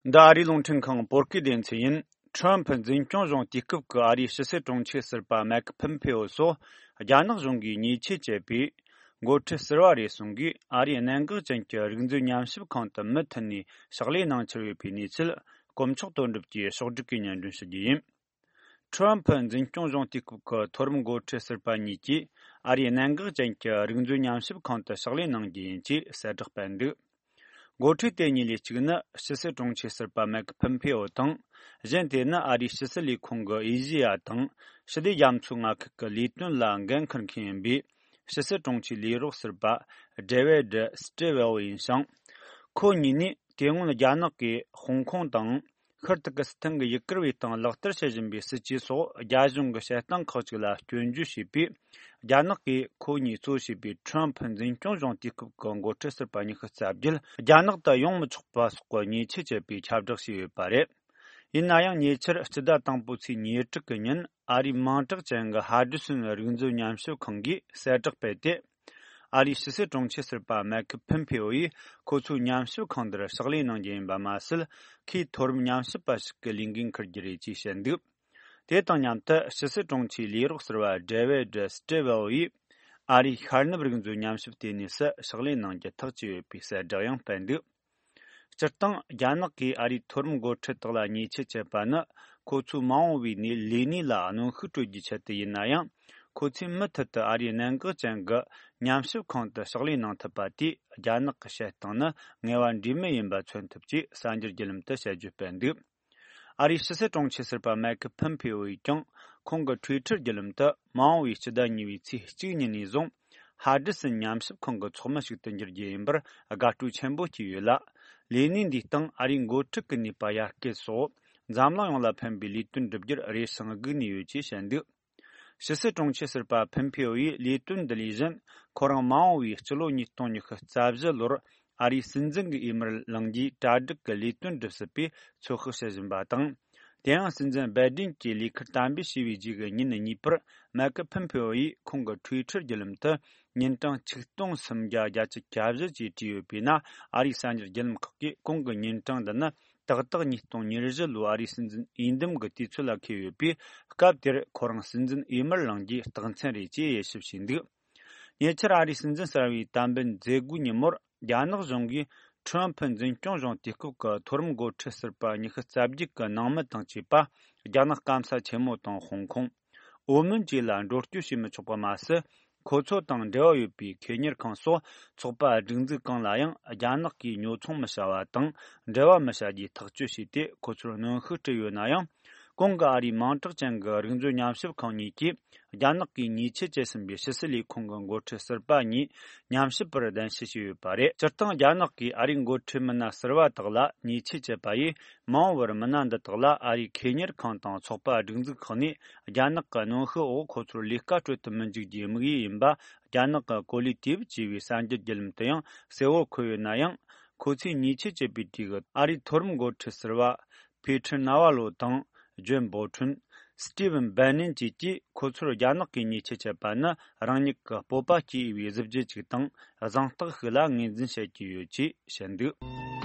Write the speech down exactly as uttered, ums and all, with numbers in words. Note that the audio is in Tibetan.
འདི་ཨ་རིའི་རླུང་འཕྲིན་ཁང་བོད་སྐད་སྡེ་ཚན་ཡིན། ཁྲོམ་ཕུ་འཛིན་སྐྱོང་གཞུང་དུས་སྐབས་ཀྱི་ཨ་རིའི་ཕྱི་སྲིད་དྲུང་ཆེ་ཟུར་པ་མེག་ཕིམ་ཕེའོ་སོགས་རྒྱ་ནག་གཞུང་གིས་ཉེས་ཆད་བཅད་པའི་འགོ་ཁྲིད་ཟུར་པ་རེ་ཟུང་གིས་ཨ་རིའི་གནད་འགག་ཅན་གྱི་རིག་མཛོད་ཉམས་ཞིབ་ཁང་དུ་མུ་མཐུད་ནས་ཕྱག་ལས་གནང་འཆར་ཡོད་པའི་གནས་ཚུལ། དཀོན་མཆོག་དོན་གྲུབ་ཀྱིས་ཕྱོགས་བསྒྲིགས་ཀྱིས་སྙན་སྒྲོན་ཞུ་རྒྱུ་ཡིན། ཁྲོམ་ཕུ་འཛིན་སྐྱོང་གཞུང་དུས་སྐབས་ཀྱི་མཐོ་རིམ་འགོ་ཁྲིད་ཟུར་པ་གཉིས་ཀྱིས་ཨ་རིའི་གནད་འགག་ཅན་གྱི་རིག་མཛོད་ཉམས་ཞིབ་ཁང་དུ་ཕྱག་ལས་གནང་རྒྱུ་ཡིན་ཅེས་གསལ་བསྒྲགས་སྤེལ་འདུག་འགོ་ཁྲིད་དེ་གཉིས་ལས་གཅིག་ནི་ཕྱི་སྲིད་དྲུང་ཆེ་ཟུར་པ་མེག་ཕིམ་ཕེའོ་དང་། གཞན་དེ་ནི་ཨ་རིའི་ཕྱི་སྲིད་ལས་ཁུངས་ཀྱི་ཨེ་ཤེ་ཡ་དང་ཞི་བདེ་རྒྱ་མཚོའི་མངའ་ཁུལ་གྱི་ལས་དོན་ལ་འགན་འཁུར་མཁན་ཡིན་པའི་ཕྱི་སྲིད་དྲུང་ཆེའི་ལས་རོགས་ཟུར་པ་ཌེ་ཝེ་ཌི་སི་ཏྲེ་ཝེལ་ཡིན་ཞིང་། ཁོ་གཉིས་ནི་དེ་སྔོན་རྒྱ་ནག་གིས་ཧོང་ཀོང་དང་། ཤར་ཏུར་ཀི་སི་ཐན་གྱི་ཡུ་གུར་བའི་སྟེང་ལག་བསྟར་བྱེད་བཞིན་པའི་སྲིད་ཇུས་སོགས་རྒྱ་གཞུང་གི་བྱེད་སྟངས་ཁག་ཅིག་ལ་སྐྱོན་བརྗོད་བྱས་པས། རྒྱ་ནག་གིས་ཁོ་གཉིས་གཙོ་བྱས་པའི་ཁྲོམ་ཕུ་འཛིན་སྐྱོང་གཞུང་དུས་སྐབས་ཀྱི་འགོ་ཁྲིད་ཟུར་པ་ཉི་ཤུ་རྩ་བརྒྱད་རྒྱ་ནག་ཏུ་ཡོང་མི་ཆོག་པ་སོགས་ཀྱི་ཉེས་ཆད་བཅད་པའི་ཁྱབ་བསྒྲགས་བྱས་ཡོད་པ་རེད། ཡིན་ན་ཡང་ཉེ་ཆར་སྤྱི་ཟླ་དང་པོའི་ཚེས་ཉེར་དྲུག་གི་ཉིན་ཨ་རིའི་མིང་གྲགས་ཅན་གྱི་ཧ་ཌི་སོན་རིག་མཛོད་ཉམས་ཞིབ་ཁང་གིས་གསལ་བསྒྲགས་སྤེལ་ཏེ། ཨ་རིའི་ཕྱི་སྲིད་དྲུང་ཆེ་ཟུར་པ་མེག་ཕིམ་ཕེའོ་ཡིས་ཁོ་ཚོའི་ཉམས་ཞིབ་ཁང་འདིར་ཕྱག་ལས་གནང་རྒྱུ་ཡིན་པ་མ་ཟད། ཁོས་མཐོ་རིམ་ཉམས་ཞིབ་པ་ཞིག་གི་ལས་འགན་འཁུར་རྒྱུ་རེད་ཅེས་བཤད་འདུག་དེ་དང་མཉམ་དུ་ཕྱི་སྲིད་དྲུང་ཆེའི་ལས་རོགས་ཟུར་པ་ཌེ་ཝེ་ཌི་སི་ཏྲེ་ཝེལ་ཡིས་ཨ་རིའི་ཤར་ནུབ་རིག་མཛོད་ཉམས་ཞིབ་ལྟེ་གནས་སུ་ཕྱག་ལས་གནང་རྒྱུ་ཐག་བཅད་ཡོད་པའི་གསལ་བསྒྲགས་ཡང་སྤེལ་འདུག་སྤྱིར་བཏང་རྒྱ་ནག་གིས་ཨ་རིའི་མཐོ་རིམ་འགོ་ཁྲིད་དག་ལ་ཉེས་ཆད་བཅད་པ་ནི་ཁོ་ཚོའི་མ་འོངས་པའི་ནས་ལས་གནས་ལ་གནོན་ཤུགས་སྤྲོད་རྒྱུའི་ཆེད་དུ་ཡིན་ན་ཡང་། ཁོ་ཚོས་མུ་མཐུད་དུ་ཨ་རིའི་གནད་འགག་ཅན་གྱི་ཉམས་ཞིབ་ཁང་དུ་ཕྱག་ལས་གནང་ཐུབ་པ་དེས་རྒྱ་ནག་གི་བྱེད་སྟངས་ནི་ངེས་པ་འབྲས་མེད་ཡིན་པ་མཚོན་ཐུབ་ཅེས་གསར་འགྱུར་བརྒྱུད་ལམ་དུ་དཔྱད་བརྗོད་སྤེལ་འདུག་ཨ་རིའི་ཕྱི་སྲིད་དྲུང་ཆེ་ཟུར་པ་མེག་ཕིམ་ཕེའོ་ཡིས་ཀྱང་ཁོང་གི་ཊུའི་ཊར་བརྒྱུད་ལམ་དུ་མ་འོངས་པའི་སྤྱི་ཟླ་གཉིས་པའི་ཚེས་གཅིག་ཉིན་ནས་བཟུང་། ཧ་ཌི་སོན་ཉམས་ཞིབ་ཁང་གི་ཚོགས་མི་ཞིག་ཏུ་འགྱུར་རྒྱུ་ཡིན་པར་དགའ་སྤྲོ་ཆེན་པོ་སྐྱེས་ཡོད་ལ། ལས་གནས་འདིའི་སྟེང་ཨ་རིའི་འགོ་ཁྲིད་ཀྱི་ནུས་པ་ཡར་སྐུལ་སོགས་འཛམ་གླིང་ཡོངས་ལ་ཕན་པའི་ལས་དོན་བསྒྲུབ་རྒྱུར་རེ་ཞིང་སྒུག་ནས་ཡོད་ཅེས་བཤད་འདུག་ཕྱི་སྲིད་དྲུང་ཆེ་ཟུར་པ་ཕིམ་ཕེའོ་ཡིས་ལས་དོན་འདི་ལས་གཞན་ཁོ་རང་མ་འོངས་པའི་སྤྱི་ལོ་ཉིས་སྟོང་ཉི་ཤུ་རྩ་བཞི་ལོར་ཨ་རིའི་སྲིད་འཛིན་གྱི་འོས་མིར་ལངས་རྒྱུའི་གྲ་སྒྲིག་གི་ལས་དོན་སྒྲུབ་སྲིད་པའི་ཚོད་དཔག་བྱེད་བཞིན་པ་དང་། དེ་ཡང་སྲིད་འཛིན་བའི་ཌེན་གྱིས་ལས་ཁུར་དམ་འབུལ་བྱས་པའི་རྗེས་ཀྱི་ཉིན་གཉིས་པར་མེག་ཕིམ་ཕེའོ་ཡིས་ཁོང་གི་ཊུའི་ཊར་བརྒྱུད་ལམ་དུ་ཉིན་གྲངས་ཆིག་སྟོང་སུམ་བརྒྱ་བརྒྱད་ཅུ་གྱ་བཞི་ཅེས་བྲིས་ཡོད་པས་ན། ཨ་རིའི་གསར་འགྱུར་བརྒྱུད་ལམ་ཁག་གིས་ཁོང་གི་ཉིན་གྲངས་འདི་ནི་ཏག་ཏག་ཉིས་སྟོང་ཉེར་བཞི་ལོའི་ཨ་རིའི་སྲིད་འཛིན་འོས་འདེམས་ཀྱི་དུས་ཚོད་ལ་འཁེལ་ཡོད་པས། སྐབས་དེར་ཁོ་རང་སྲིད་འཛིན་འོས་མིར་ལངས་རྒྱུའི་རྟགས་མཚན་རེད་ཅེས་དབྱེ་ཞིབ་བྱས་འདུག་ཉེ་ཆར་ཨ་རིའི་སྲིད་འཛིན་གསར་པའི་དམ་འབུལ་མཛད་སྒོའི་ཉིན་མོར་རྒྱ་ནག་གཞུང་གིས་ཁྲོམ་ཕུ་འཛིན་སྐྱོང་གཞུང་དུས་སྐབས་ཀྱི་མཐོ་རིམ་འགོ་ཁྲིད་ཟུར་པ་ཉི་ཤུ་རྩ་བརྒྱད་ཀྱི་ནང་མི་དང་བཅས་པ་རྒྱ་ནག་སྐམ་ས་ཆེན་མོ་དང་ཧོང་ཀོང་། ཨོ་མོན་བཅས་ལ་འགྲོ་སྐྱོད་བྱེད་མི་ཆོག་པ་མ་ཟད། ཁོ་ཚོ་དང་འབྲེལ་བ་ཡོད་པའི་ཁེ་གཉེར་ཁང་སོགས་ཚོགས་པ་སྒྲིག་འཛུགས་གང་ལ་ཡང་རྒྱ་ནག་གིས་ཉོ་ཚོང་མི་བྱ་བ་དང་འབྲེལ་བ་མི་བྱ་རྒྱུའི་ཐག་གཅོད་བྱས་ཏེ། ཁོ་ཚོར་གནོན་ཤུགས་སྤྲད་ཡོད་ན་ཡང་། གོང་གི་ཨ་རིའི་མིང་གྲགས་ཅན་གྱི་རིག་མཛོད་ཉམས་ཞིབ་ཁང་གཉིས་ཀྱིས་རྒྱ་ནག་གིས་ཉེས་ཆད་བཅད་ཟིན་པའི་ཕྱི་སྲིད་ལས་ཁུངས་ཀྱི་འགོ་ཁྲིད་ཟུར་པ་གཉིས་ཉམས་ཞིབ་པར་གདན་ཞུ་བྱས་ཡོད་པ་རེད། སྤྱིར་བཏང་རྒྱ་ནག་གིས་ཨ་རིའི་འགོ་ཁྲིད་མི་སྣ་ཟུར་པ་དག་ལ་ཉེས་ཆད་བཅད་པ་ཡིས། མ་འོངས་པར་མི་སྣ་འདི་དག་ལ་ཨ་རིའི་ཁེ་གཉེར་ཁང་དང་ཚོགས་པ་སྒྲིག་འཛུགས་ཁག་ནས་རྒྱ་ནག་གི་གནོན་ཤུགས་འོག་ཁོ་ཚོར་ལས་ཀ་སྤྲོད་དུ་མི་འཇུག་རྒྱུའི་དམིགས་ཡུལ་ཡིན་པ། རྒྱ་ནག་གི་གོ་ལི་ཏེབ་ཅེས་པའི་གསར་འགྱུར་བརྒྱུད་ལམ་དུ་ཡང་གསལ་བོར་འཁོད་ཡོད་ན་ཡང་། ཁོ་ཚོས་ཉེས་ཆད་བཅད་པའི་གྲས་ཀྱི་ཨ་རིའི་མཐོ་རིམ་འགོ་ཁྲིད་ཟུར་པ་ཕེ་ཁྲི་ན་ཝ་ལོ་དང་། ཇོན་བོ་ཁྲུན། སི་ཏི་ཝན་བན་ནན་བཅས་ཀྱིས་ཁོ་ཚོར་རྒྱ་ནག་གིས་ཉེས་ཆད་བཅད་པ་ནི་རང་ཉིད་ཀྱི་སྤོབས་པ་སྐྱེ་འོས་པའི་གཟི་བརྗིད་ཅིག་དང་གཟེངས་རྟགས་ཤིག་ལ་ངོས་འཛིན་བྱེད་ཀྱི་ཡོད་ཅེས་བཤད་འདུག